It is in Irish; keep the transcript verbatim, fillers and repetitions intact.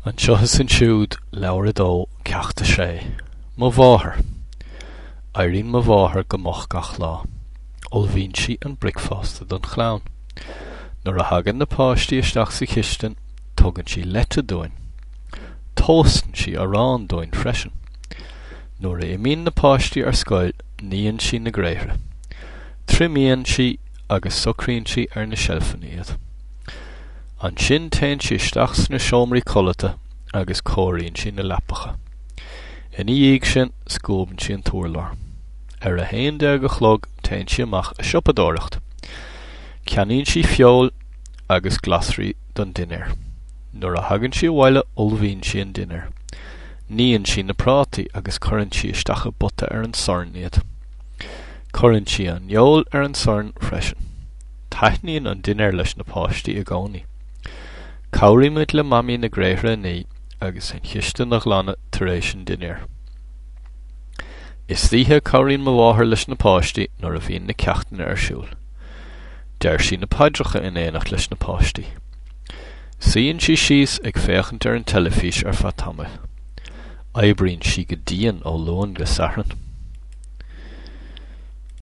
Anseo is ansiúd, leabhar a dó, ceacht a sé. Mo mháthair. Éiríonn mo mháthair go moch gach lá. Ullmhaíonn sí an bricfeasta don chlann. Nuair a thagann na páistí isteach sa chistin, tugann sí leite dúinn. Tomhaiseann sí arán dúinn freisin. Nuair a imíonn na páistí ar scoil, níonn sí na gréithre. Triomaíonn sí agus socraíonn sí ar na seilfeanna iad. Ansin téann sí isteach sna seomraí codlata agus cóiríonn sí na leapacha. Ina dhiaidh sin, scuabann sí an t-urlár. Ar a haon déag a chlog téann sí amach ag siopadóireacht. Ceannaíonn sí feoil agus glasraí don dinnéar. Nuair a thagann sí abhaile ullmhaíonn sí an dinnéar. Níonn sí na prátaí agus cuireann sí isteach i bpota ar an sorn iad. Cuireann sí an fheoil ar an sorn freisin. Taitníonn an dinnéar leis na páistí i gcónaí. Cabhraímid le Mamaí na gréithre a ní agus an chistin a ghlanadh tar éis an dinnéir. Istoíche cabhraíonn mo mháthair leis na páistí nuair a bhíonn na ceachtanna ar siúl. Deir sí na paidreacha in éineacht leis na páistí. Suíonn sí síos ag féachaint ar an teilifís ar feadh tamaill. Oibríonn sí go dian ó Luan go Satharn.